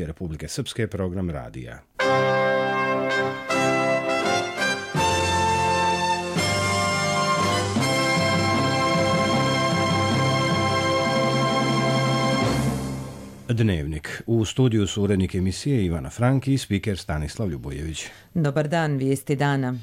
Republike Srpske program radija. Dnevnik. U studiju su urednik emisije Ivana Franki i spiker Stanislav Ljubojević. Dobar dan, vijesti dana.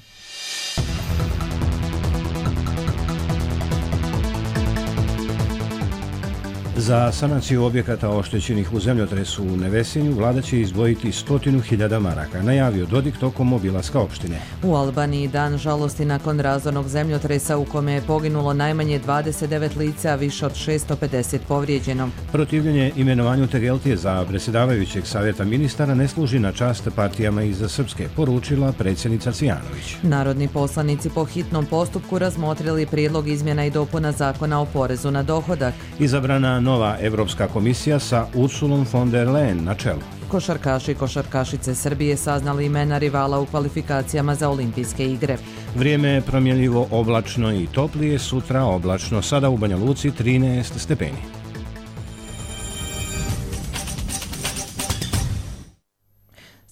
Za sanaciju objekata oštećenih u zemljotresu u Nevesinju vlada će izdvojiti 100.000 maraka, najavio Dodik tokom obilaska opštine. U Albaniji dan žalosti nakon razornog zemljotresa u kome je poginulo najmanje 29 lica, a više od 650 povrijeđeno. Protivljenje imenovanju Tegeltije za predsjedavajućeg savjeta ministara ne služi na čast partijama iz Srpske, poručila predsjednica Cvijanović. Narodni poslanici po hitnom postupku razmotrili prijedlog izmjena i dopuna zakona o porezu na dohodak. Izabrana nova Evropska komisija sa Ursulom von der Leyen na čelu. Košarkaši i košarkašice Srbije saznali imena rivala u kvalifikacijama za olimpijske igre. Vrijeme je promjenljivo, oblačno i toplije, sutra oblačno, sada u Banja Luci 13 stepeni.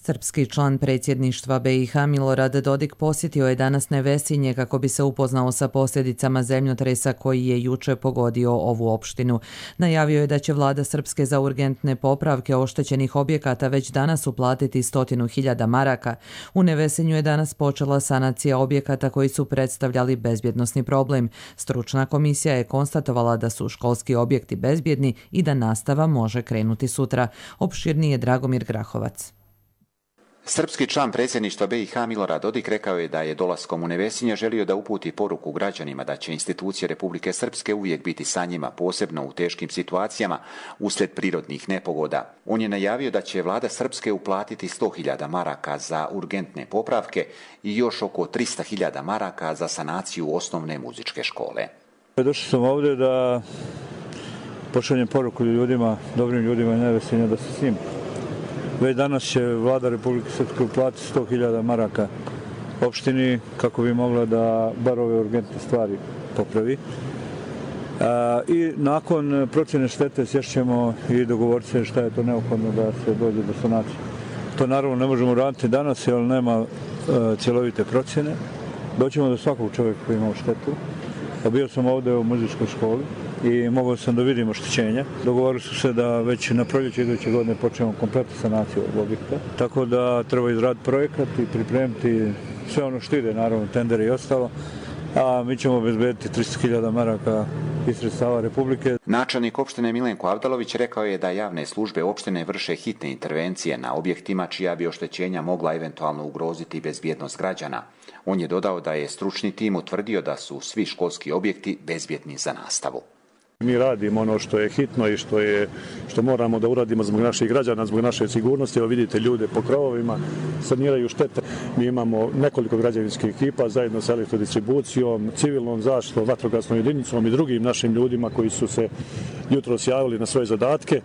Srpski član predsjedništva BiH Milorad Dodik posjetio je danas Nevesinje kako bi se upoznao sa posljedicama zemljotresa koji je juče pogodio ovu opštinu. Najavio je da će vlada Srpske za urgentne popravke oštećenih objekata već danas uplatiti 100.000 maraka. U Nevesinju je danas počela sanacija objekata koji su predstavljali bezbjednosni problem. Stručna komisija je konstatovala da su školski objekti bezbjedni i da nastava može krenuti sutra. Opširnije Dragomir Grahovac. Srpski član predsjedništva BiH Milorad Dodik rekao je da je dolaskom u Nevesinje želio da uputi poruku građanima da će institucije Republike Srpske uvijek biti sa njima, posebno u teškim situacijama uslijed prirodnih nepogoda. On je najavio da će vlada Srpske uplatiti 100.000 maraka za urgentne popravke i još oko 300.000 maraka za sanaciju osnovne muzičke škole. Došao sam ovdje da pošaljem poruku ljudima, dobrim ljudima Nevesinja da se s njim. Već danas će vlada Republike Srpske uplatiti 100.000 maraka opštini kako bi mogla da bar ove urgentne stvari popravi. I nakon procjene štete sješćemo i dogovoriti se šta je to neophodno da se dođe do sanacije. To naravno ne možemo raditi danas jer nema cjelovite procjene. Doćemo do svakog čovjeka koji ima štetu. Bio sam ovdje u muzičkoj školi i mogao sam da vidim oštećenja. Dogovorili su se da već na proljeće iduće godine počnemo kompletnu sanaciju ovog objekta. Tako da treba izraditi projekat i pripremiti sve ono što ide, naravno tendere i ostalo. A mi ćemo obezbediti 300.000 maraka iz sredstava Republike. Načelnik opštine Milenko Avdalović rekao je da javne službe opštine vrše hitne intervencije na objektima čija bi oštećenja mogla eventualno ugroziti bezbjednost građana. On je dodao da je stručni tim utvrdio da su svi školski objekti bezbjedni za nastavu. Mi radimo ono što je hitno i što moramo da uradimo zbog naših građana, zbog naše sigurnosti. Evo vidite ljude po krovovima, saniraju štete. Mi imamo nekoliko građevinskih ekipa zajedno sa elektrodistribucijom, civilnom zaštitom, vatrogasnom jedinicom i drugim našim ljudima koji su se jutros javili na svoje zadatke.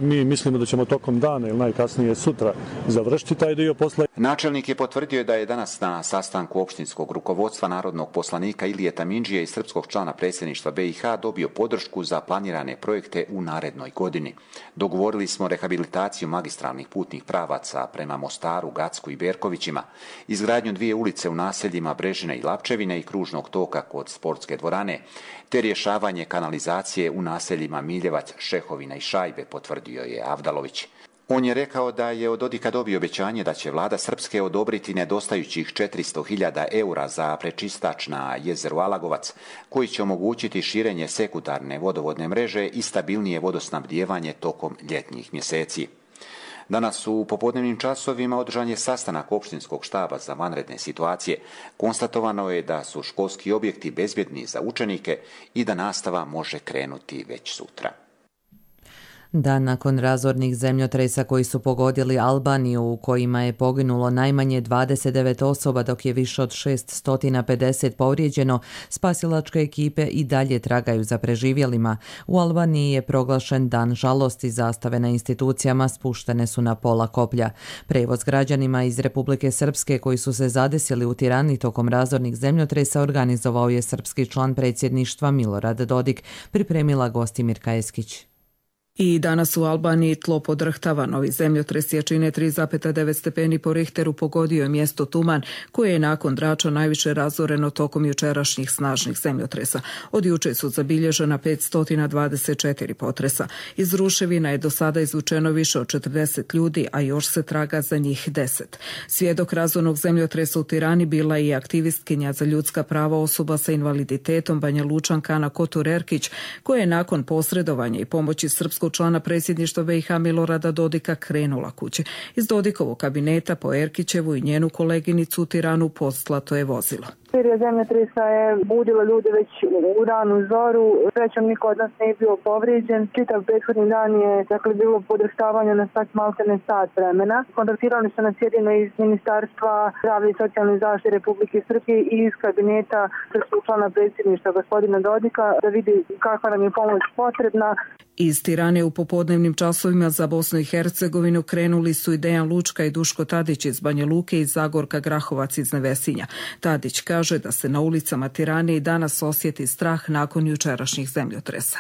Mi mislimo da ćemo tokom dana ili najkasnije sutra završiti taj dio posla. Načelnik je potvrdio da je danas na sastanku opštinskog rukovodstva narodnog poslanika Ilijeta Mindžije i srpskog člana predsjedništva BiH dobio podršku za planirane projekte u narednoj godini. Dogovorili smo rehabilitaciju magistralnih putnih pravaca prema Mostaru, Gacku i Berkovićima, izgradnju 2 ulice u naseljima Brežine i Lapčevine i kružnog toka kod sportske dvorane, te rješavanje kanalizacije u naseljima Miljevac, Šehovina i Šajbe, potvrdio je Avdalović. On je rekao da je od Dodika dobio obećanje da će vlada Srpske odobriti nedostajućih 400.000 eura za prečistač na jezeru Alagovac, koji će omogućiti širenje sekundarne vodovodne mreže i stabilnije vodosnabdijevanje tokom ljetnjih mjeseci. Danas u popodnevnim časovima održan je sastanak opštinskog štaba za vanredne situacije. Konstatovano je da su školski objekti bezbjedni za učenike i da nastava može krenuti već sutra. Dan nakon razornih zemljotresa koji su pogodili Albaniju, u kojima je poginulo najmanje 29 osoba dok je više od 650 povrijeđeno, spasilačke ekipe i dalje tragaju za preživjelima. U Albaniji je proglašen dan žalosti, zastave na institucijama spuštene su na pola koplja. Prevoz građanima iz Republike Srpske koji su se zadesili u Tirani tokom razornih zemljotresa organizovao je srpski član predsjedništva Milorad Dodik, pripremila Gostimirka Eskić. I danas u Albaniji tlo podrhtava. Novi zemljotres jačine 3,9 stepeni po Richteru pogodio je mjesto Tuman, koje je nakon Drača najviše razoreno tokom jučerašnjih snažnih zemljotresa. Od juče su zabilježena 524 potresa. Iz ruševina je do sada izvučeno više od 40 ljudi, a još se traga za njih 10. Svjedok razornog zemljotresa u Tirani bila je i aktivistkinja za ljudska prava osoba sa invaliditetom Banja Lučanka Ana Kotur Erkić, koja je nakon posredovanja i pomoći srpskog člana predsjedništva BiH Milorada Dodika krenula kući. Iz Dodikovog kabineta po Erkićevu i njenu koleginicu u Tiranu poslato je vozilo. Serija zemljotresa je budila ljude već u ranu zoru. Srećom niko od nas nije bio povrijeđen. Čitav prethodni dan je bilo podrštavanje na maltene sat vremena. Kontaktirali su nas jedino iz Ministarstva zdravlja i socijalne zaštite Republike Srpske i iz kabineta srpskog člana predsjedništva gospodina Dodika da vidi kakva nam je pomoć potrebna. Iz Tirane u popodnevnim časovima za Bosnu i Hercegovinu krenuli su i Dejan Lučka i Duško Tadić iz Banja Luke i Zagorka Grahovac iz Nevesinja. Tadić kaže da se na ulicama Tirane i danas osjeti strah nakon jučerašnjih zemljotresa.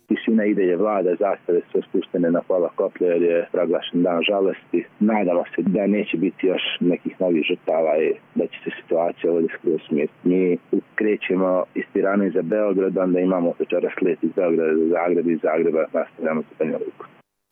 Tišina ide je vlada, zastave su spuštene na pola koplja jer je proglašen dan žalosti. Nadamo se da neće biti još nekih novih žrtava i da će se situacija ovdje skroz smiriti. Mi krećemo iz Tirane za Beograd, onda imamo večeras let iz Beograda za Zagreb i iz Zagreba nastavljamo za Banja Luku.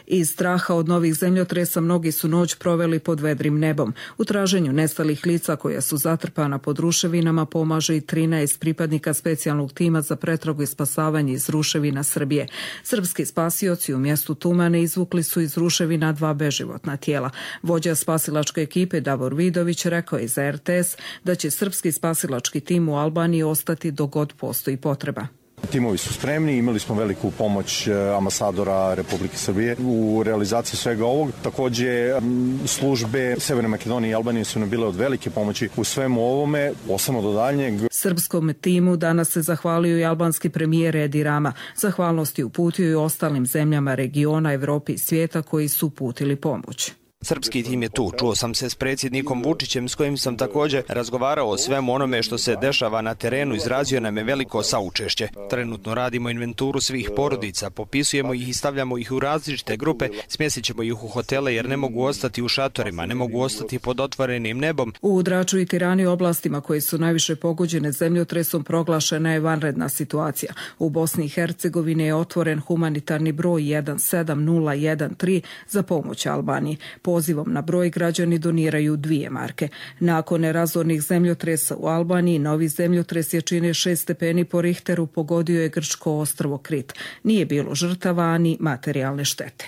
Iz straha od novih zemljotresa mnogi su noć proveli pod vedrim nebom. U traženju nestalih lica koja su zatrpana pod ruševinama pomaže i 13 pripadnika specijalnog tima za pretragu i spasavanje iz ruševina Srbije. Srpski spasioci u mjestu Tumane izvukli su iz ruševina 2 beživotna tijela. Vođa spasilačke ekipe Davor Vidović rekao je za RTS da će srpski spasilački tim u Albaniji ostati dok god postoji potreba. Timovi su spremni, imali smo veliku pomoć ambasadora Republike Srbije u realizaciji svega ovog. Također službe Severne Makedonije i Albanije su nam bile od velike pomoći u svemu ovome, posebno do daljnjeg. Srpskom timu danas se zahvalio i albanski premijer Edi Rama. Zahvalnosti uputio i ostalim zemljama regiona, Evropi i svijeta koji su uputili pomoć. Srpski tim je tu. Čuo sam se s predsjednikom Vučićem s kojim sam također razgovarao o svemu onome što se dešava na terenu, izrazio nam je veliko saučešće. Trenutno radimo inventuru svih porodica, popisujemo ih i stavljamo ih u različite grupe, smjestit ćemo ih u hotele jer ne mogu ostati u šatorima, ne mogu ostati pod otvorenim nebom. U Draču i Tirani, oblastima koje su najviše pogođene zemljotresom, proglašena je vanredna situacija. U Bosni i Hercegovini je otvoren humanitarni broj 17013 za pomoć Albaniji. Pozivom na broj građani doniraju 2 marke. Nakon razornih zemljotresa u Albaniji, novi zemljotres jačine 6 stepeni po Richteru pogodio je grčko ostrvo Krit. Nije bilo žrtava ani materijalne štete.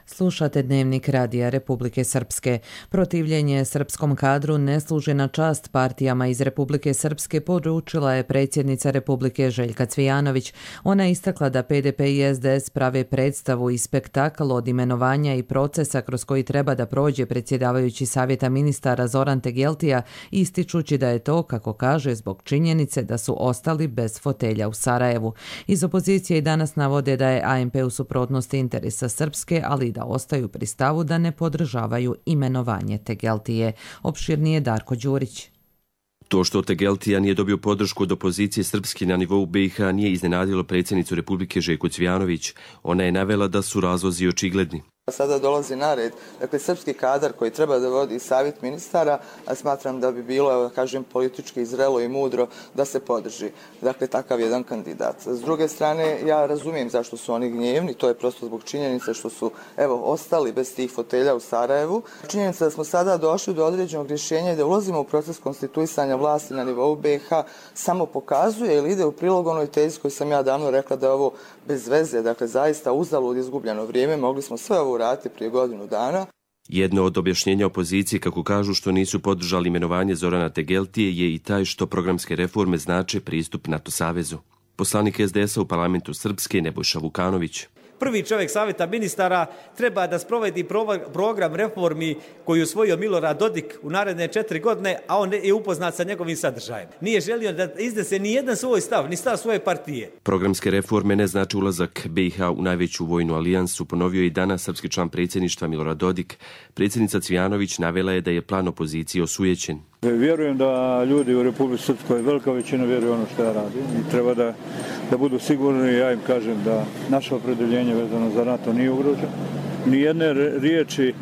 Slušate Dnevnik Radija Republike Srpske. Protivljenje srpskom kadru ne služi na čast partijama iz Republike Srpske, poručila je predsjednica Republike Željka Cvijanović. Ona je istakla da PDP i SDS prave predstavu i spektakl od imenovanja i procesa kroz koji treba da prođe predsjedavajući Savjeta ministara Zoran Tegeltija, ističući da je to, kako kaže, zbog činjenice da su ostali bez fotelja u Sarajevu. Iz opozicije i danas navode da je ANP u suprotnosti interesa Srpske, ali da ostaju pri stavu da ne podržavaju imenovanje Tegeltije. Opširnije Darko Đurić. To što Tegeltija nije dobio podršku od opozicije Srpske na nivou BiH nije iznenadilo predsjednicu Republike Željku Cvijanović. Ona je navela da su razlozi očigledni. Sada dolazi na red, srpski kadar koji treba da vodi savjet ministara, a smatram da bi bilo, politički zrelo i mudro da se podrži. Takav jedan kandidat. S druge strane, ja razumijem zašto su oni gnjevni, to je prosto zbog činjenice što su, ostali bez tih fotelja u Sarajevu. Činjenica da smo sada došli do određenog rješenja i da ulazimo u proces konstituisanja vlasti na nivou BiH samo pokazuje ili ide u prilog onoj tezi koju sam ja davno rekla da je ovo bez veze, zaista uzalud izgubljeno vrijeme, mogli smo sve ovo uraditi prije godinu dana. Jedno od objašnjenja opozicije, kako kažu, što nisu podržali imenovanje Zorana Tegeltije je i taj što programske reforme znače pristup NATO savezu. Poslanik SDS-a u parlamentu Srpske Nebojša Vukanović. Prvi čovjek Savjeta ministara treba da sprovedi program reformi koji je usvojio Milorad Dodik u naredne 4 godine, a on je upoznat sa njegovim sadržajem. Nije želio da iznese ni jedan svoj stav, ni stav svoje partije. Programske reforme ne znači ulazak BiH u najveću vojnu alijansu, ponovio je i danas srpski član predsjedništva Milorad Dodik. Predsjednica Cvijanović navela je da je plan opozicije osujećen. Vjerujem da ljudi u Republici Srpskoj, velika većina vjeruje ono što ja radim i treba da budu sigurni. Ja im kažem da naše opredeljenje vezano za NATO nije ugroženo. Nijedne riječi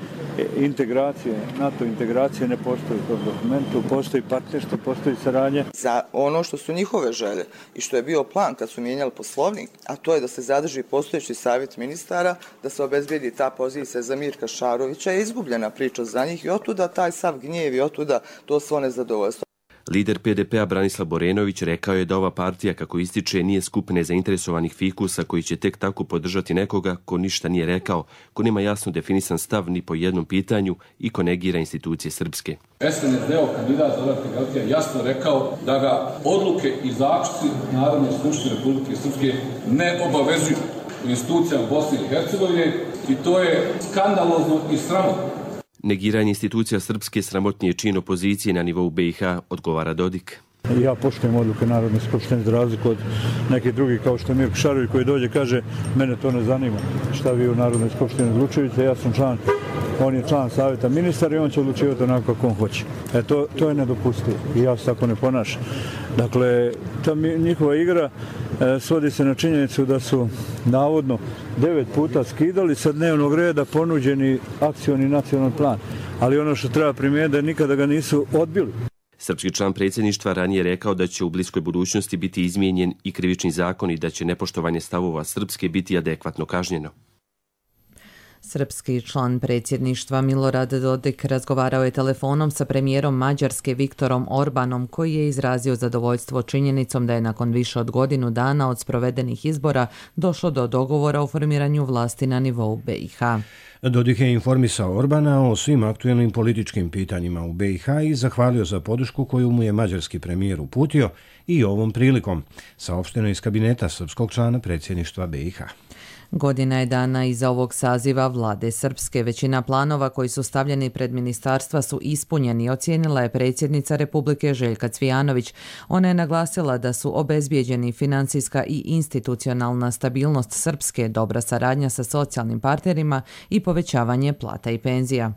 integracije, NATO integracije ne postoji u tom dokumentu, postoji partnerstvo, postoji saradnja. Za ono što su njihove želje i što je bio plan kad su mijenjali poslovnik, a to je da se zadrži postojeći savjet ministara, da se obezbijedi ta pozicija za Mirka Šarovića, je izgubljena priča za njih i otuda taj sav gnjev i otuda to svo nezadovoljstvo. Lider PDP-a Branislav Borenović rekao je da ova partija, kako ističe, nije skup nezainteresovanih fikusa koji će tek tako podržati nekoga ko ništa nije rekao, ko nema jasno definisan stav ni po jednom pitanju i ko negira institucije srpske. SNSD-ov kandidat Zoran Tegeltija jasno rekao da ga odluke i zaključci Narodne skupštine Republike Srpske ne obavezuju u institucijama Bosne i Hercegovine i to je skandalozno i sramotno. Negiranje institucija srpske sramotni je čin opozicije na nivou BiH, odgovara Dodik. Ja poštujem odluke Narodne skupštine za razliku od nekih drugih kao što je Mirko Šarović koji dođe kaže mene to ne zanima šta vi u Narodnoj skupštini odlučujete, ja sam član, on je član savjeta ministara i on će odlučivati onako kako on hoće. To je nedopustivo i ja se tako ne ponašam. Dakle, ta njihova igra svodi se na činjenicu da su navodno 9 puta skidali sa dnevnog reda ponuđeni akcioni nacionalni plan. Ali ono što treba primijetiti da nikada ga nisu odbili. Srpski član predsjedništva ranije rekao da će u bliskoj budućnosti biti izmijenjen i krivični zakon i da će nepoštovanje stavova Srpske biti adekvatno kažnjeno. Srpski član predsjedništva Milorad Dodik razgovarao je telefonom sa premijerom Mađarske Viktorom Orbanom koji je izrazio zadovoljstvo činjenicom da je nakon više od godinu dana od sprovedenih izbora došlo do dogovora o formiranju vlasti na nivou BiH. Dodik je informisao Orbana o svim aktuelnim političkim pitanjima u BiH i zahvalio za podršku koju mu je mađarski premijer uputio i ovom prilikom, saopšteno iz kabineta srpskog člana predsjedništva BiH. Godina je dana iza ovog saziva vlade Srpske. Većina planova koji su stavljeni pred ministarstva su ispunjeni, ocijenila je predsjednica Republike Željka Cvijanović. Ona je naglasila da su obezbijeđeni financijska i institucionalna stabilnost Srpske, dobra saradnja sa socijalnim partnerima i povećavanje plata i penzija.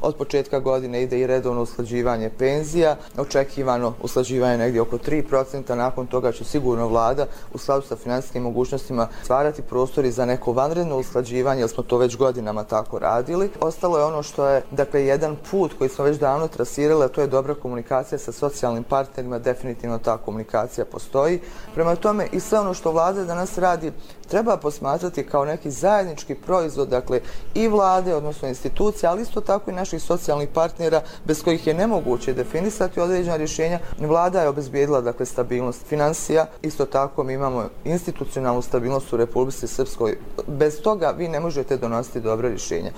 Od početka godine ide i redovno usklađivanje penzija, očekivano usklađivanje negdje oko 3%, nakon toga će sigurno vlada u skladu sa financijskim mogućnostima stvarati prostori za neko vanredno usklađivanje, jer smo to već godinama tako radili. Ostalo je ono što je jedan put koji smo već davno trasirali, a to je dobra komunikacija sa socijalnim partnerima, definitivno ta komunikacija postoji. Prema tome i sve ono što vlada danas radi treba posmatrati kao neki zajednički proizvod, dakle i vlade, odnosno institucije, ali isto tako i naših socijalnih partnera bez kojih je nemoguće definisati određena rješenja. Vlada je obezbijedila dakle stabilnost financija, isto tako mi imamo institucionalnu stabilnost u Republici Srpskoj. Bez toga vi ne možete donositi dobra rješenja.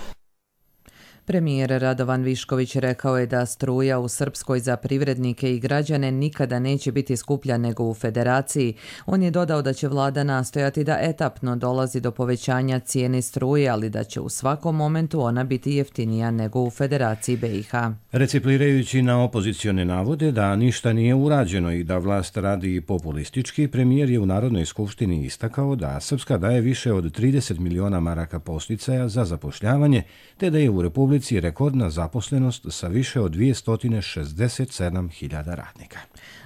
Premijer Radovan Višković rekao je da struja u Srpskoj za privrednike i građane nikada neće biti skuplja nego u Federaciji. On je dodao da će vlada nastojati da etapno dolazi do povećanja cijene struje, ali da će u svakom momentu ona biti jeftinija nego u Federaciji BiH. Reciklirajući na opozicione navode da ništa nije urađeno i da vlast radi populistički, premijer je u Narodnoj skupštini istakao da Srpska daje više od 30 miliona maraka podsticaja za zapošljavanje, te da je u Republici rekordna zaposlenost sa više od 267.000 radnika.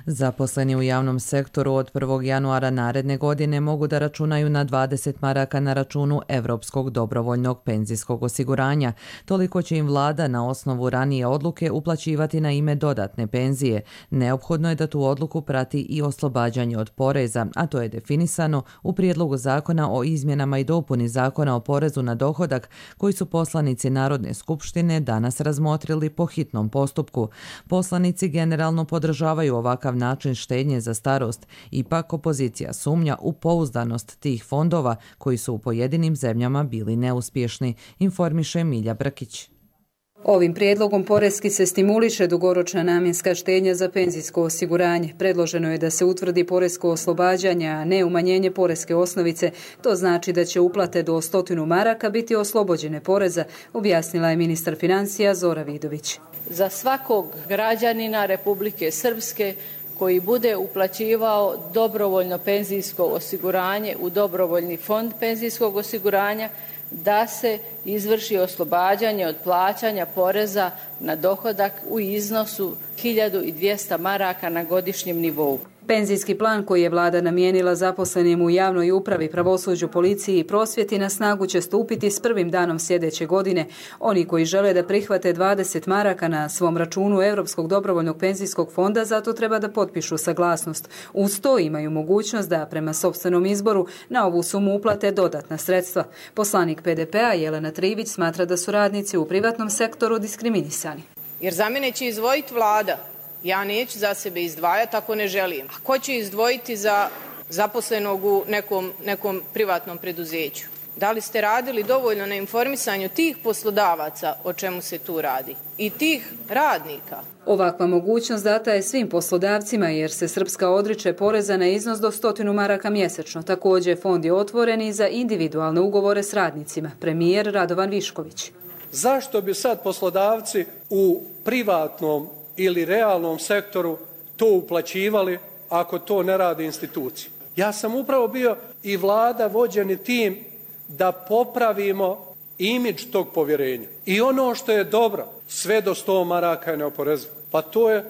Zaposleni u javnom sektoru od 1. januara naredne godine mogu da računaju na 20 maraka na računu Evropskog dobrovoljnog penzijskog osiguranja. Toliko će im vlada na osnovu ranije odluke uplaćivati na ime dodatne penzije. Neophodno je da tu odluku prati i oslobađanje od poreza, a to je definisano u prijedlogu zakona o izmjenama i dopuni zakona o porezu na dohodak koji su poslanici Narodne skupštine danas razmotrili po hitnom postupku. Poslanici generalno podržavaju ovakav način štednje za starost, ipak opozicija sumnja u pouzdanost tih fondova koji su u pojedinim zemljama bili neuspješni, informiše Milja Brkić. Ovim prijedlogom poreski se stimuliše dugoročna namjenska štednja za penzijsko osiguranje. Predloženo je da se utvrdi poresko oslobađanje, a ne umanjenje poreske osnovice. To znači da će uplate do 100 maraka biti oslobođene poreza, objasnila je ministar financija Zora Vidović. Za svakog građanina Republike Srpske koji bude uplaćivao dobrovoljno penzijsko osiguranje u dobrovoljni fond penzijskog osiguranja, da se izvrši oslobađanje od plaćanja poreza na dohodak u iznosu 1200 maraka na godišnjem nivou. Penzijski plan koji je vlada namijenila zaposlenim u javnoj upravi, pravosuđu, policiji i prosvjeti na snagu će stupiti s prvim danom sljedeće godine. Oni koji žele da prihvate 20 maraka na svom računu Europskog dobrovoljnog penzijskog fonda zato treba da potpišu saglasnost. Uz to imaju mogućnost da prema sopstvenom izboru na ovu sumu uplate dodatna sredstva. Poslanik PDP-a Jelena Trivić smatra da su radnici u privatnom sektoru diskriminisani. Jer za mene će izdvojiti vlada. Ja neću za sebe izdvajati ako ne želim. A ko će izdvojiti za zaposlenog u nekom privatnom preduzeću? Da li ste radili dovoljno na informisanju tih poslodavaca o čemu se tu radi i tih radnika? Ovakva mogućnost data je svim poslodavcima jer se Srpska odriče poreza na iznos do 100 maraka mjesečno. Također fond je otvoren i za individualne ugovore s radnicima. Premijer Radovan Višković. Zašto bi sad poslodavci u privatnom ili realnom sektoru to uplaćivali ako to ne rade institucije? Ja sam upravo bio i vlada vođeni tim da popravimo imidž tog povjerenja. I ono što je dobro, sve do 100 maraka je neoporezivo. Pa to je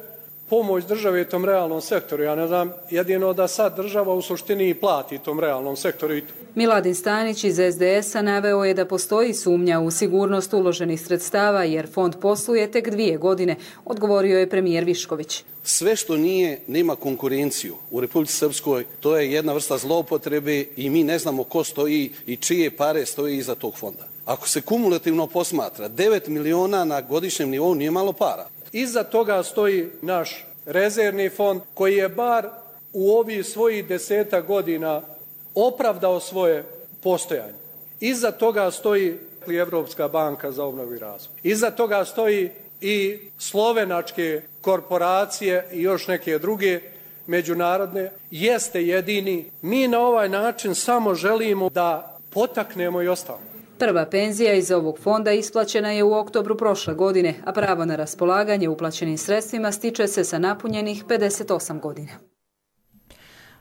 pomoć države tom realnom sektoru. Ja ne znam, jedino da sad država u suštini i plati tom realnom sektoru i to. Miladin Stanić iz SDS-a naveo je da postoji sumnja u sigurnost uloženih sredstava jer fond posluje tek 2 godine, odgovorio je premijer Višković. Sve što nema konkurenciju u Republici Srpskoj, to je jedna vrsta zloupotrebe i mi ne znamo ko stoji i čije pare stoji iza tog fonda. Ako se kumulativno posmatra, 9 miliona na godišnjem nivou nije malo para. Iza toga stoji naš rezervni fond koji je bar u ovih svojih 10 godina opravdao svoje postojanje. Iza toga stoji i Evropska banka za obnovu i razvoj. Iza toga stoji i slovenačke korporacije i još neke druge međunarodne. Jeste jedini. Mi na ovaj način samo želimo da potaknemo i ostalo. Prva penzija iz ovog fonda isplaćena je u oktobru prošle godine, a pravo na raspolaganje uplaćenim sredstvima stiče se sa napunjenih 58 godina.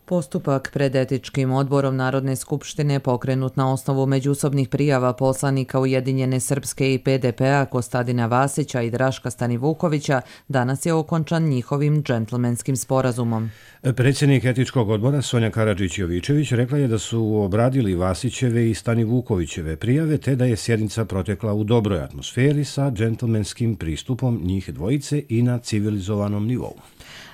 Postupak pred etičkim odborom Narodne skupštine pokrenut na osnovu međusobnih prijava poslanika Ujedinjene Srpske i PDP-a Kostadina Vasića i Draška Stanivukovića danas je okončan njihovim džentlmenskim sporazumom. Predsjednik etičkog odbora Sonja Karadžić-Jovičević rekla je da su obradili Vasićeve i Stanivukovićeve prijave te da je sjednica protekla u dobroj atmosferi sa džentlmenskim pristupom njih dvojice i na civilizovanom nivou.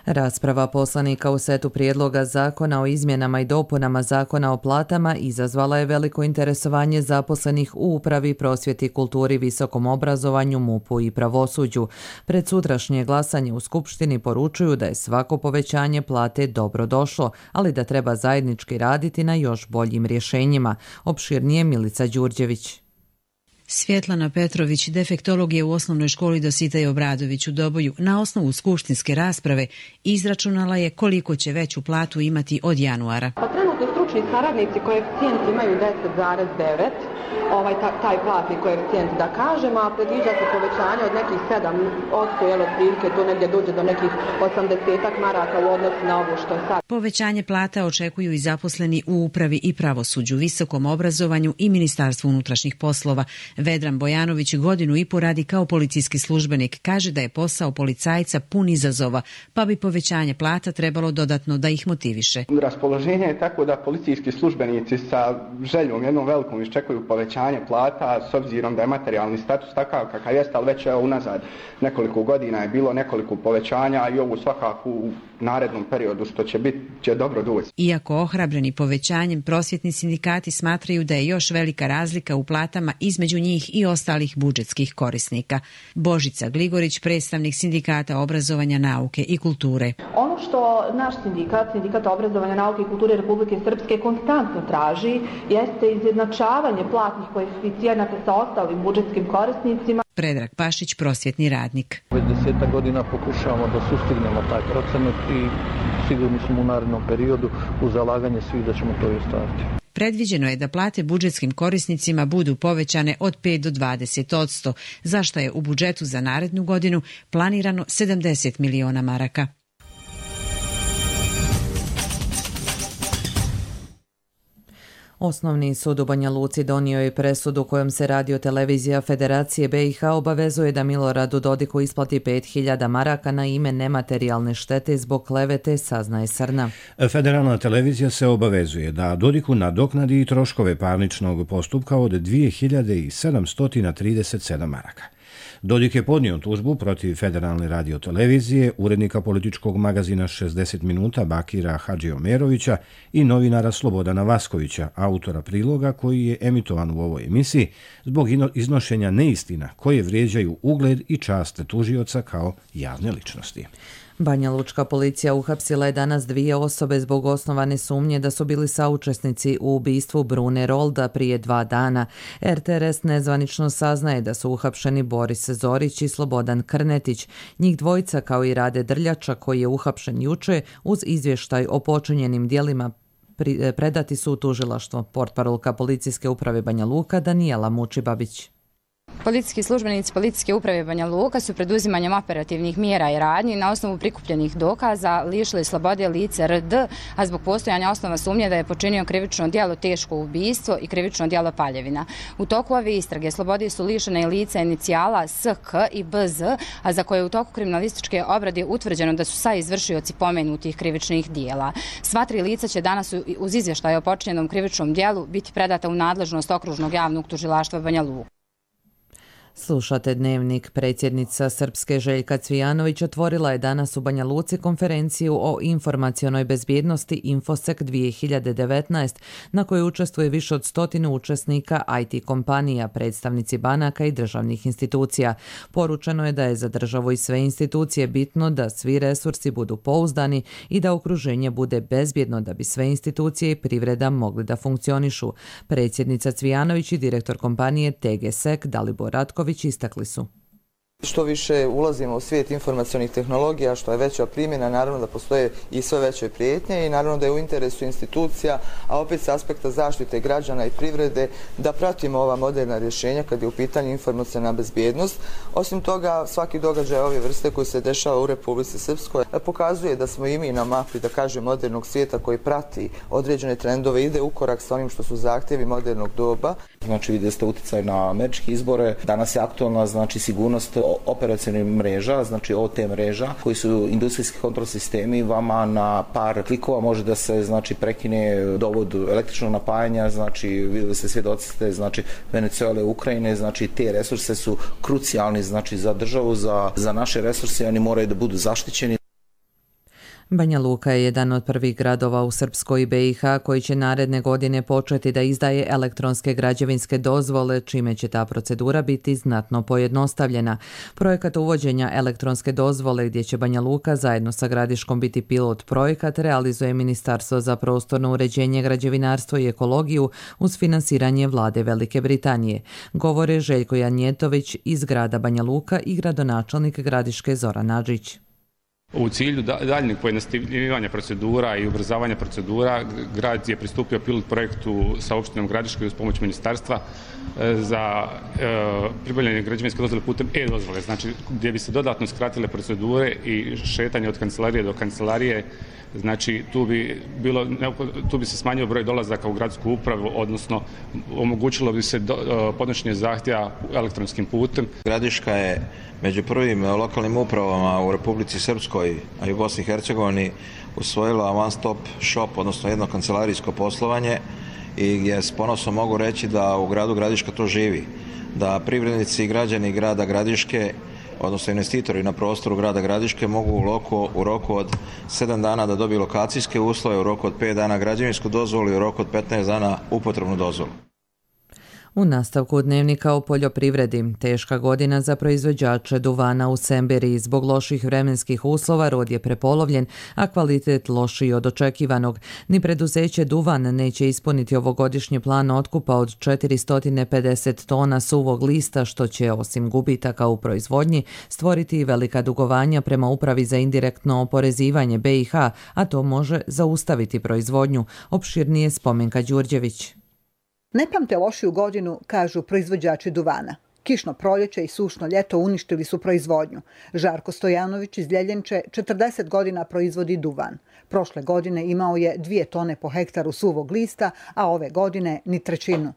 Rasprava poslanika u setu prijedloga zakona o izmjenama i dopunama zakona o platama izazvala je veliko interesovanje zaposlenih u upravi, prosvjeti, kulturi, visokom obrazovanju, MUP-u i pravosuđu. Pred sutrašnje glasanje u Skupštini poručuju da je svako povećanje plate dobro došlo, ali da treba zajednički raditi na još boljim rješenjima. Opširnije Milica Đurđević. Svjetlana Petrović, defektolog je u osnovnoj školi Dositej Obradović u Doboju, na osnovu skupštinske rasprave izračunala je koliko će veću platu imati od januara. Pa trenutno stručni saradnici koeficijent imaju 10,9, taj platni koeficijent da kažem, a predviđa se povećanje od nekih 7%, jel otprilike to negdje dođe do nekih 80 maraka u odnosu na ovo što je sad. Povećanje plata očekuju i zaposleni u upravi i pravosuđu, visokom obrazovanju i Ministarstvu unutrašnjih poslova. Vedran Bojanović 1,5 godine radi kao policijski službenik. Kaže da je posao policajca pun izazova, pa bi povećanje plata trebalo dodatno da ih motiviše. Raspoloženje je tako da policijski službenici sa željom jednom velikom iščekuju povećanje plata s obzirom da je materijalni status takav kakav jeste, ali već unazad nekoliko godina je bilo nekoliko povećanja i ovo svakako u narednom periodu što će biti će dobro doći. Iako ohrabreni povećanjem, prosvjetni sindikati smatraju da je još velika razlika u platama između njih i ostalih budžetskih korisnika. Božica Gligorić, predstavnik Sindikata obrazovanja, nauke i kulture. Ono što naš sindikat obrazovanja, nauke i kulture Republike Srpske konstantno traži jeste izjednačavanje platnih koeficijenata sa ostalim budžetskim korisnicima. Predrag Pašić, prosvjetni radnik. Već 10 godina pokušavamo da sustignemo taj procenat i sigurni smo u narednom periodu u zalaganje svih da ćemo to i ostvariti. Predviđeno je da plate budžetskim korisnicima budu povećane od 5 do 20%, za što je u budžetu za narednu godinu planirano 70 miliona maraka. Osnovni sud u Banja Luci donio je presudu kojom se Radio-televizija Federacije BiH obavezuje da Miloradu Dodiku isplati 5.000 maraka na ime nematerijalne štete zbog klevete, saznaje Srna. Federalna televizija se obavezuje da Dodiku nadoknadi i troškove parničnog postupka od 2.737 maraka. Dodik je podnio tužbu protiv Federalne radiotelevizije, urednika političkog magazina 60 minuta Bakira Hadžiomerovića i novinara Slobodana Vaskovića, autora priloga koji je emitovan u ovoj emisiji zbog iznošenja neistina koje vrijeđaju ugled i čast tužioca kao javne ličnosti. Banja Lučka policija uhapsila je danas 2 osobe zbog osnovane sumnje da su bili saučesnici u ubistvu Brune Rolda prije 2 dana. RTRS nezvanično saznaje da su uhapšeni Boris Zorić i Slobodan Krnetić. Njih dvojica kao i Rade Drljača koji je uhapšen juče uz izvještaj o počinjenim djelima predati su u tužilaštvo. Portparolka policijske uprave Banja Luka Danijela Mučibabić. Policijski službenici Policijske uprave Banja Luka su pred uzimanjem operativnih mjera i radnji na osnovu prikupljenih dokaza lišili slobode lice RD, a zbog postojanja osnova sumnje da je počinio krivično djelo teško ubistvo i krivično djelo paljevina. U toku ove istrage slobode su lišene i lica inicijala SK i BZ, a za koje je u toku kriminalističke obrade utvrđeno da su saizvršioci pomenutih krivičnih djela. Sva 3 lica će danas uz izvještaj o počinjenom krivičnom djelu biti predata u nadležnost Okružnog javnog tužilaštva Banja Luka. Slušate Dnevnik. Predsjednica Srpske Željka Cvijanović otvorila je danas u Banja Luci konferenciju o informacionoj bezbjednosti Infosec 2019, na kojoj učestvuje više od 100 učesnika IT kompanija, predstavnici banaka i državnih institucija. Poručeno je da je za državu i sve institucije bitno da svi resursi budu pouzdani i da okruženje bude bezbjedno da bi sve institucije i privreda mogli da funkcionišu. Predsjednica Cvijanović i direktor kompanije TGSEC Dalibor Ratko istakli su. Što više ulazimo u svijet informacionih tehnologija, što je veća primjena, naravno da postoje i sve veće prijetnje i naravno da je u interesu institucija, a opet s aspekta zaštite građana i privrede, da pratimo ova moderna rješenja kad je u pitanju informaciona bezbjednost. Osim toga, svaki događaj ove vrste koji se dešava u Republici Srpskoj pokazuje da smo i mi na mapi, da kažem, modernog svijeta koji prati određene trendove, ide u korak sa onim što su zahtjevi modernog doba. Znači, vidjeli ste utjecaj na američke izbore. Danas je aktualna, znači, sigurnost operacionalnih mreža, znači OT mreža, koji su industrijski kontrol sistemi. Vama na par klikova može da se, znači, prekine dovod električnog napajanja, znači, vidjeli ste, svjedoci ste, znači, Venezuele, Ukrajine, znači, te resurse su krucijalni, znači, za državu, za naše resurse, oni moraju da budu zaštićeni. Banja Luka je jedan od prvih gradova u Srpskoj i BiH koji će naredne godine početi da izdaje elektronske građevinske dozvole, čime će ta procedura biti znatno pojednostavljena. Projekat uvođenja elektronske dozvole, gdje će Banja Luka zajedno sa Gradiškom biti pilot projekat, realizuje Ministarstvo za prostorno uređenje, građevinarstvo i ekologiju uz finansiranje vlade Velike Britanije. Govore Željko Janjetović iz grada Banja Luka i gradonačelnik Gradiške Zoran Adžić. U cilju daljnjeg pojednostavljivanja procedura i ubrzavanja procedura, grad je pristupio pilot projektu sa opštinom Gradiškoj uz pomoć ministarstva za pribavljanje građevinske dozvole putem e-dozvole, znači gdje bi se dodatno skratile procedure i šetanje od kancelarije do kancelarije. Znači tu bi se smanjio broj dolazaka u gradsku upravu, odnosno omogućilo bi se podnošenje zahtjeva elektronskim putem. Gradiška je među prvim lokalnim upravama u Republici Srpskoj, a i u Bosni i Hercegovini usvojila one stop shop, odnosno jedno kancelarijsko poslovanje, i gdje s ponosom mogu reći da u gradu Gradiška to živi, da privrednici i građani grada Gradiške, odnosno investitori na prostoru grada Gradiške, mogu u roku od 7 dana da dobiju lokacijske uslove, u roku od 5 dana građevinsku dozvolu i u roku od 15 dana upotrebnu dozvolu. U nastavku Dnevnika o poljoprivredi, teška godina za proizvođače duvana u Semberiji. Zbog loših vremenskih uslova rod je prepolovljen, a kvalitet lošiji od očekivanog. Ni preduzeće Duvan neće ispuniti ovogodišnji plan otkupa od 450 tona suvog lista, što će, osim gubitaka u proizvodnji, stvoriti i velika dugovanja prema Upravi za indirektno oporezivanje BiH, a to može zaustaviti proizvodnju. Opširnije Spomenka Đurđević. Ne pamte lošiju godinu, kažu proizvođači duvana. Kišno proljeće i sušno ljeto uništili su proizvodnju. Žarko Stojanović iz Ljeljenče 40 godina proizvodi duvan. Prošle godine imao je 2 tone po hektaru suvog lista, a ove godine ni trećinu.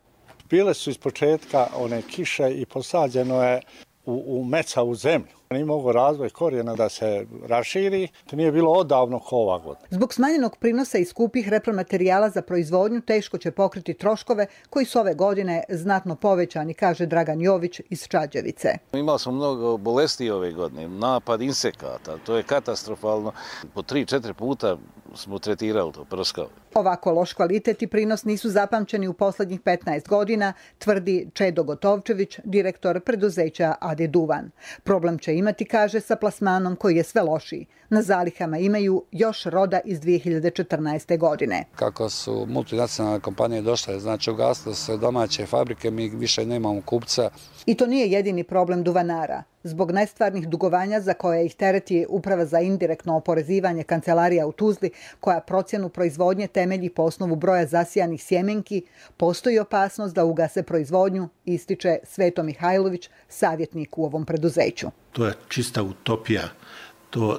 Bile su iz početka one kiše i posađeno je u mecavu zemlju. Nije mogao razvoj korijena da se raširi, to nije bilo odavno kao ova godina. Zbog smanjenog prinosa i skupih repromaterijala za proizvodnju teško će pokriti troškove koji su ove godine znatno povećani, kaže Dragan Jović iz Čađevice. Imali smo mnogo bolesti ove godine, napad insekata, to je katastrofalno. Po 3-4 puta smo tretirali to, prskali. Ovako loš kvalitet i prinos nisu zapamćeni u posljednjih 15 godina, tvrdi Čedo Gotovčević, direktor preduzeća AD Duvan. Problem će imati, kaže, sa plasmanom koji je sve lošiji. Na zalihama imaju još roda iz 2014. godine. Kako su multinacionalne kompanije došle, znači ugasile se domaće fabrike, mi više nemamo kupca. I to nije jedini problem duvanara. Zbog nestvarnih dugovanja za koje ih tereti Uprava za indirektno oporezivanje Kancelarija u Tuzli, koja procjenu proizvodnje temelji po osnovu broja zasijanih sjemenki, postoji opasnost da ugase proizvodnju, ističe Sveto Mihajlović, savjetnik u ovom preduzeću. To je čista utopija.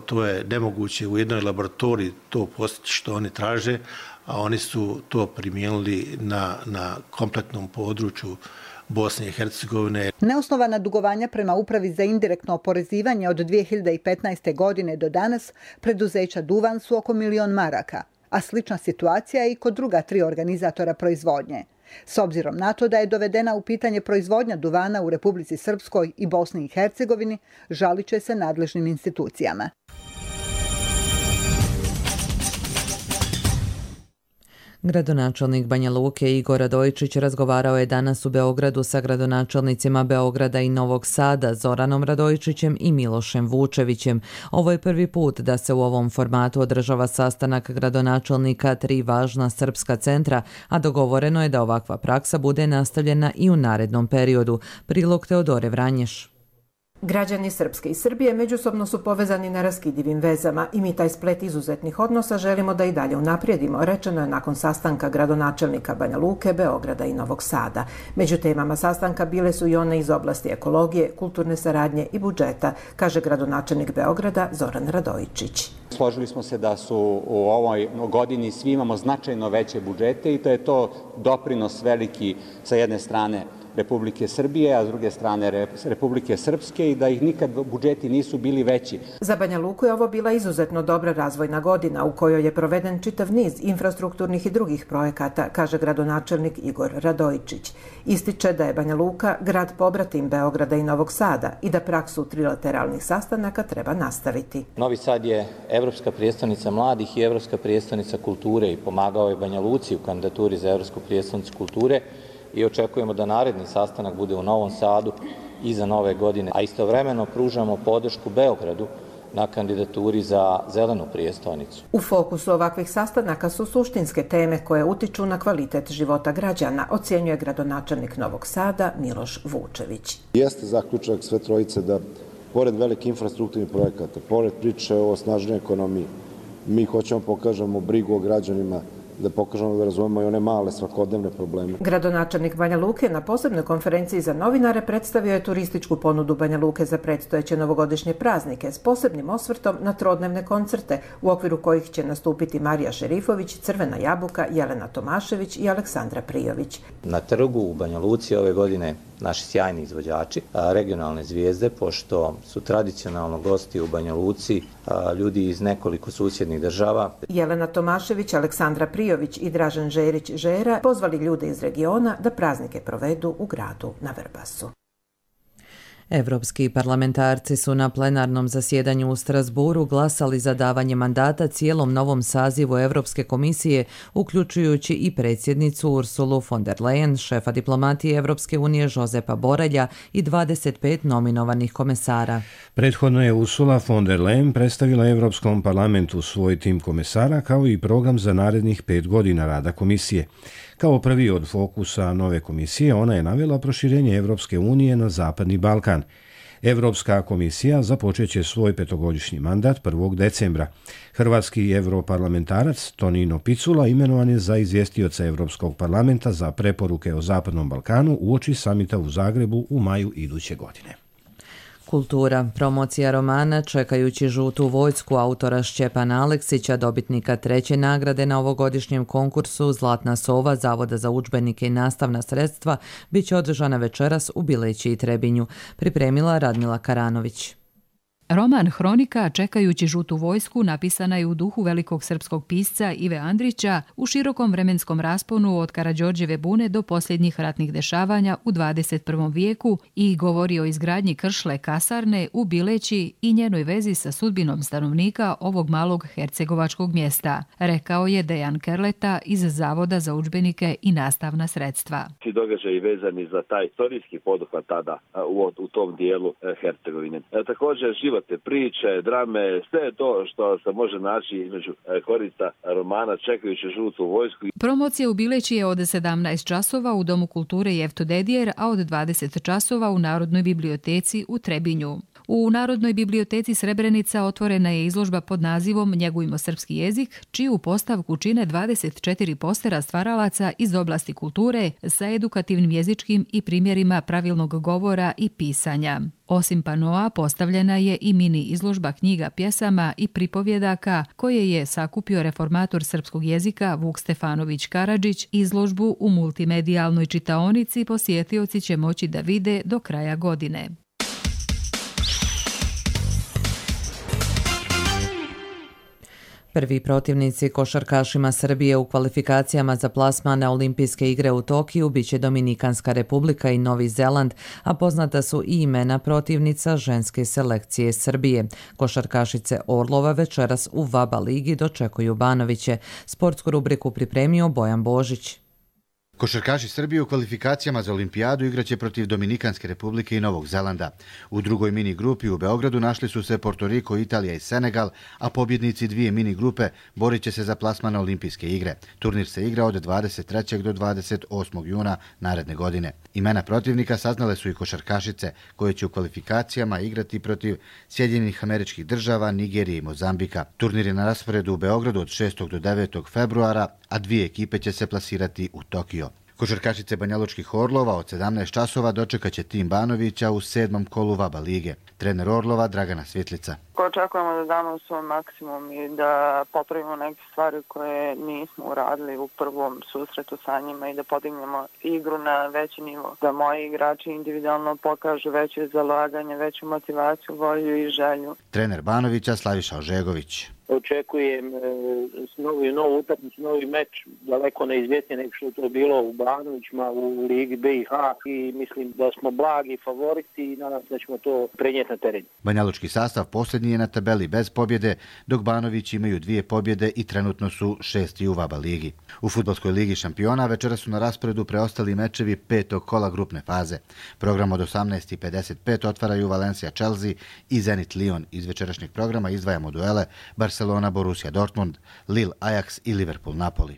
To je nemoguće u jednoj laboratoriji to postići što oni traže, a oni su to primijenili na kompletnom području Bosne i Hercegovine. Neosnovana dugovanja prema Upravi za indirektno oporezivanje od 2015. godine do danas preduzeća Duvan su oko 1 milion maraka, a slična situacija je i kod druga 3 organizatora proizvodnje. S obzirom na to da je dovedena u pitanje proizvodnja duvana u Republici Srpskoj i Bosni i Hercegovini, žalit će se nadležnim institucijama. Gradonačelnik Banja Luke Igor Radojičić razgovarao je danas u Beogradu sa gradonačelnicima Beograda i Novog Sada, Zoranom Radojičićem i Milošem Vučevićem. Ovo je prvi put da se u ovom formatu održava sastanak gradonačelnika 3 važna srpska centra, a dogovoreno je da ovakva praksa bude nastavljena i u narednom periodu. Prilog Teodore Vranješ. Građani Srpske i Srbije međusobno su povezani neraskidivim vezama i mi taj splet izuzetnih odnosa želimo da i dalje unaprijedimo, rečeno je nakon sastanka gradonačelnika Banja Luke, Beograda i Novog Sada. Među temama sastanka bile su i one iz oblasti ekologije, kulturne saradnje i budžeta, kaže gradonačelnik Beograda Zoran Radojičić. Složili smo se da su u ovoj godini svi imamo značajno veće budžete i da je to doprinos veliki sa jedne strane Republike Srbije, a s druge strane Republike Srpske i da ih nikad budžeti nisu bili veći. Za Banja Luku je ovo bila izuzetno dobra razvojna godina u kojoj je proveden čitav niz infrastrukturnih i drugih projekata, kaže gradonačelnik Igor Radojičić. Ističe da je Banja Luka grad pobratim Beograda i Novog Sada i da praksu trilateralnih sastanaka treba nastaviti. Novi Sad je evropska prijestolnica mladih i evropska prijestolnica kulture i pomagao je Banja Luci u kandidaturi za evropsku prijestolnicu kulture i očekujemo da naredni sastanak bude u Novom Sadu iza nove godine, a istovremeno pružamo podršku Beogradu na kandidaturi za zelenu prijestolnicu. U fokusu ovakvih sastanaka su suštinske teme koje utiču na kvalitet života građana, ocjenjuje gradonačelnik Novog Sada Miloš Vučević. Jeste zaključak sve trojice da pored velikih infrastrukturnih projekata, pored priče o snažnoj ekonomiji, mi hoćemo pokažemo brigu o građanima, da pokažemo da razumemo i one male svakodnevne probleme. Gradonačelnik Banja Luke na posebnoj konferenciji za novinare predstavio je turističku ponudu Banja Luke za predstojeće novogodišnje praznike s posebnim osvrtom na trodnevne koncerte u okviru kojih će nastupiti Marija Šerifović, Crvena jabuka, Jelena Tomašević i Aleksandra Prijović. Na trgu u Banja Luci ove godine naši sjajni izvođači, regionalne zvijezde, pošto su tradicionalno gosti u Banja Luci ljudi iz nekoliko susjednih država. Jelena Tomašević, Aleksandra Prijović i Dražen Žerić Žera pozvali ljude iz regiona da praznike provedu u gradu na Vrbasu. Evropski parlamentarci su na plenarnom zasjedanju u Strasburu glasali za davanje mandata cijelom novom sazivu Evropske komisije, uključujući i predsjednicu Ursulu von der Leyen, šefa diplomatije Evropske unije Josepa Borrella i 25 nominovanih komesara. Prethodno je Ursula von der Leyen predstavila Evropskom parlamentu svoj tim komesara kao i program za narednih 5 godina rada komisije. Kao prvi od fokusa nove komisije, ona je navela proširenje Evropske unije na Zapadni Balkan. Europska komisija započet će svoj 5-godišnji mandat 1. decembra. Hrvatski europarlamentarac Tonino Picula imenovan je za izvjestioca Europskog parlamenta za preporuke o Zapadnom Balkanu uoči samita u Zagrebu u maju iduće godine. Kultura. Promocija romana Čekajući žutu vojsku autora Šćepana Aleksića, dobitnika 3. nagrade na ovogodišnjem konkursu Zlatna sova Zavoda za udžbenike i nastavna sredstva, bit će održana večeras u Bileći i Trebinju. Pripremila Radmila Karanović. Roman Hronika Čekajući žutu vojsku napisana je u duhu velikog srpskog pisca Ive Andrića u širokom vremenskom rasponu od Karađorđeve bune do posljednjih ratnih dešavanja u 21. vijeku i govori o izgradnji kršle kasarne u Bileći i njenoj vezi sa sudbinom stanovnika ovog malog hercegovačkog mjesta, rekao je Dejan Kerleta iz Zavoda za udžbenike i nastavna sredstva. Ti događaji vezani za taj istorijski poduhvat tada u tom dijelu Hercegovine. Također životne priče, drame, sve to što se može naći između korista romana Čekajući žutu vojsku. Promocija u Bileći je od 17 časova u Domu kulture Jefto Dedijer, a od 20 časova u Narodnoj biblioteci u Trebinju. U Narodnoj biblioteci Srebrenica otvorena je izložba pod nazivom Njegujmo srpski jezik, čiju postavku čine 24 postera stvaralaca iz oblasti kulture sa edukativnim jezičkim i primjerima pravilnog govora i pisanja. Osim panoa postavljena je i mini izložba knjiga pjesama i pripovjedaka koje je sakupio reformator srpskog jezika Vuk Stefanović Karadžić. Izložbu u multimedijalnoj čitaonici posjetioci će moći da vide do kraja godine. Prvi protivnici košarkašima Srbije u kvalifikacijama za plasman na Olimpijske igre u Tokiju biće Dominikanska Republika i Novi Zeland, a poznata su i imena protivnica ženske selekcije Srbije. Košarkašice Orlova večeras u VABA ligi dočekuju Banoviće. Sportsku rubriku pripremio Bojan Božić. Košarkaši Srbije u kvalifikacijama za olimpijadu igraće protiv Dominikanske Republike i Novog Zelanda. U drugoj mini grupi u Beogradu našli su se Porto Riko, Italija i Senegal, a pobjednici dvije mini grupe borit će se za plasman na Olimpijske igre. Turnir se igra od 23. do 28. juna naredne godine. Imena protivnika saznale su i košarkašice koje će u kvalifikacijama igrati protiv Sjedinjenih Američkih Država, Nigerije i Mozambika. Turnir je na rasporedu u Beogradu od 6. do 9. februara, a dvije ekipe će se plasirati u Tokio. Košarkašice Banjalučkih Orlova od 17 časova dočekaće tim Banovića u 7. kolu VABA lige. Trener Orlova Dragana Svitlica. Očekujemo da damo svoj maksimum i da popravimo neke stvari koje nismo uradili u prvom susretu sa njima i da podignemo igru na veći nivo. Da moji igrači individualno pokažu veće zalaganje, veću motivaciju, volju i želju. Trener Banovića Slaviša Ožegović. Očekujem novu utakmicu, novi meč, daleko neizvjetnije nego što je to bilo u Banovićima, u Ligi BiH i mislim da smo blagi favoriti i nadam se da ćemo to prenijeti na teren. Banjalučki sastav posljednji je na tabeli bez pobjede, dok Banović imaju 2 pobjede i trenutno su 6. u VABA ligi. U Fudbalskoj ligi šampiona večera su na rasporedu preostali mečevi 5. kola grupne faze. Program od 18:55 otvaraju Valencia Chelsea i Zenit Lyon. Iz večerašnjeg programa izdvajamo duele Barcelona, Borussia Dortmund, Lille, Ajax i Liverpool, Napoli.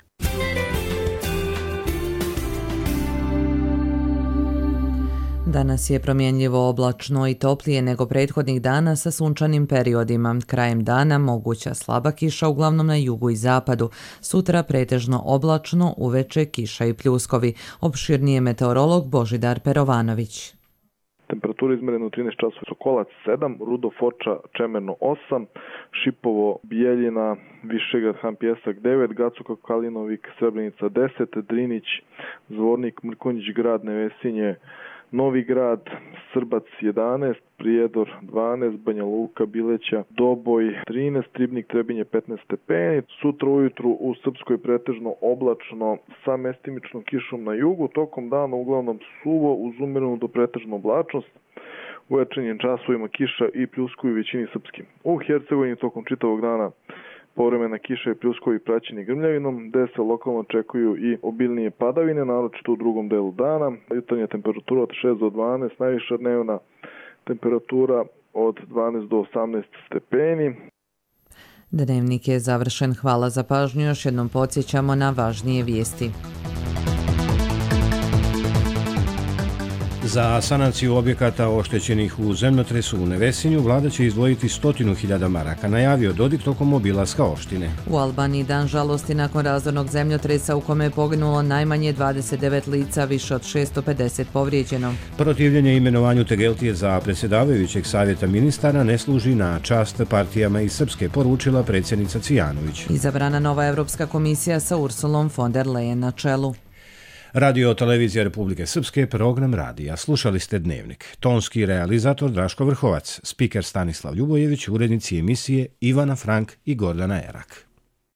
Danas je promjenljivo oblačno i toplije nego prethodnih dana sa sunčanim periodima. Krajem dana moguća slaba kiša uglavnom na jugu i zapadu. Sutra pretežno oblačno, uveče kiša i pljuskovi. Opširnije meteorolog Božidar Perovanović. Temperatura izmerena u 13 časova, Sokolac 7, Rudo Foča Čemerno 8, Šipovo Bijeljina, Višegrad Han Pjesak 9, Gacuka Kalinovik Srebrenica 10, Drinić, Zvornik Mrkonjić Grad Nevesinje, Novi Grad, Srbac 11, Prijedor 12, Banja Luka, Bileća, Doboj 13, Ribnik, Trebinje 15 stepeni. Sutra ujutru u Srpskoj pretežno oblačno sa mestimičnom kišom na jugu, tokom dana uglavnom suvo uz umjerenu do pretežnu oblačnost. U večernjim časovima kiša i pljuskovi u većini srpskim. U Hercegovini tokom čitavog dana povremena kiša i pljuskovi praćeni grmljavinom, gde se lokalno očekuju i obilnije padavine, naročito u drugom delu dana. Jutarnja temperatura od 6 do 12, najviša dnevna temperatura od 12 do 18 stepeni. Dnevnik je završen. Hvala za pažnju. Još jednom podsjećamo na važnije vijesti. Za sanaciju objekata oštećenih u zemljotresu u Nevesinju vlada će izdvojiti 100.000 maraka, najavio Dodik tokom obilaska opštine. U Albaniji dan žalosti nakon razornog zemljotresa u kome je poginulo najmanje 29 lica, više od 650 povrijeđeno. Protivljenje imenovanju Tegeltije za predsjedavajućeg savjeta ministara ne služi na čast partijama iz Srpske, poručila predsjednica Cvijanović. Izabrana nova Evropska komisija sa Ursulom von der Leyen na čelu. Radio Televizija Republike Srpske, program radija. Slušali ste Dnevnik. Tonski realizator Draško Vrhovac, spiker Stanislav Ljubojević, urednici emisije Ivana Frank i Gordana Erak.